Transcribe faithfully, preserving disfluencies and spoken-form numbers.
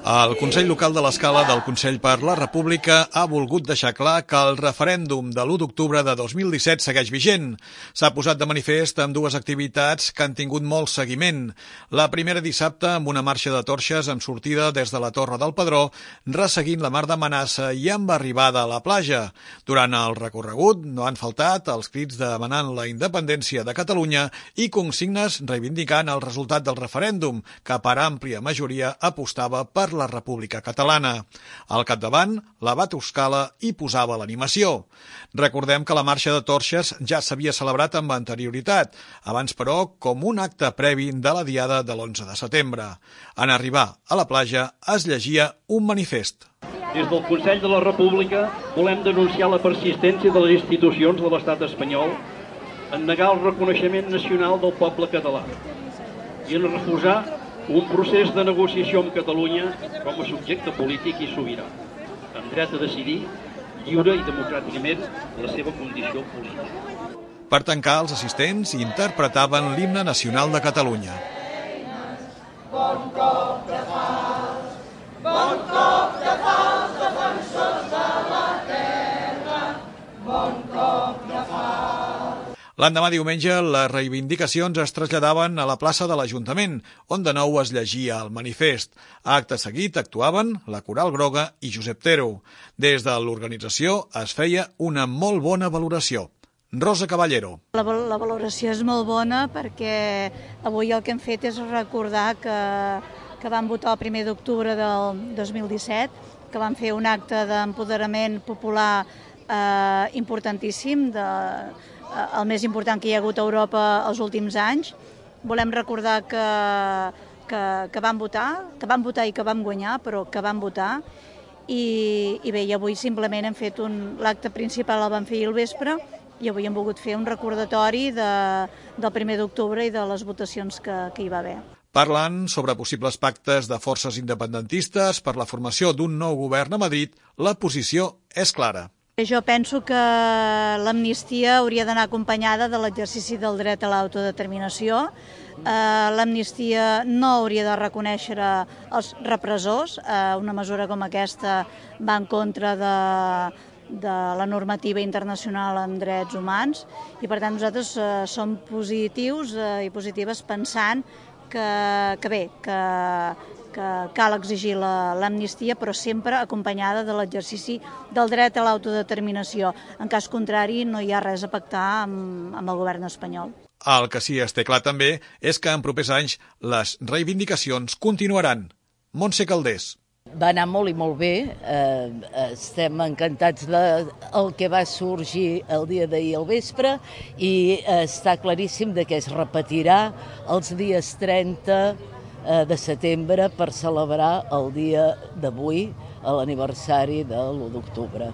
El Consell Local de l'Escala del Consell per la República ha volgut deixar clar que el referèndum de l'u d'octubre de dos mil disset segueix vigent. S'ha posat de manifest amb dues activitats que han tingut molt seguiment. La primera dissabte amb una marxa de torxes amb sortida des de la Torre del Pedró, resseguint la mar de Manassa i amb arribada a la platja. Durant el recorregut no han faltat els crits demanant la independència de Catalunya i consignes reivindicant el resultat del referèndum, que per àmplia majoria apostava per la República Catalana. Al capdavant, l'abat Euskala hi posava l'animació. Recordem que la marxa de torxes ja s'havia celebrat amb anterioritat, abans però com un acte previ de la diada de l'onze de setembre. En arribar a la platja es llegia un manifest. Des del Consell de la República volem denunciar la persistència de les institucions de l'estat espanyol en negar el reconeixement nacional del poble català i en refusar un procés de negociació amb Catalunya com a subjecte polític i sobirà, amb dret a decidir lliure i democràticament la seva condició política. Per tancar, els assistents interpretaven l'himne nacional de Catalunya. Bon cop de fals, bon cop de fals, defensors de la terra, bon cop de fals. L'endemà diumenge, les reivindicacions es traslladaven a la plaça de l'Ajuntament, on de nou es llegia el manifest. Acte seguit actuaven la Coral Groga i Josep Tero. Des de l'organització es feia una molt bona valoració. Rosa Caballero. La, la valoració és molt bona perquè avui el que hem fet és recordar que, que vam votar el primer d'octubre del dos mil disset, que vam fer un acte d'empoderament popular eh, importantíssim, de, eh, el més important que hi ha hagut a Europa els últims anys. Volem recordar que, que, que vam votar, que vam votar i que vam guanyar, però que vam votar. I, i bé, i avui simplement hem fet un, l'acte principal el vam fer al vespre, i avui hem volgut fer un recordatori de, del primer d'octubre i de les votacions que, que hi va haver. Parlant sobre possibles pactes de forces independentistes per la formació d'un nou govern a Madrid, la posició és clara. Jo penso que l'amnistia hauria d'anar acompanyada de l'exercici del dret a l'autodeterminació. Eh, l'amnistia no hauria de reconèixer els repressors. Eh, una mesura com aquesta va en contra de... de la normativa internacional en drets humans i per tant nosaltres eh, som positius eh, i positives pensant que, que bé, que, que cal exigir l'amnistia però sempre acompanyada de l'exercici del dret a l'autodeterminació. En cas contrari no hi ha res a pactar amb, amb el govern espanyol. El que sí es té clar també és que en propers anys les reivindicacions continuaran. Montse Caldés. Va anar molt i molt bé, eh, estem encantats del que va sorgir el dia d'ahir al vespre i eh, està claríssim de que es repetirà els dies trenta eh, de setembre per celebrar el dia d'avui, l'aniversari de l'u d'octubre.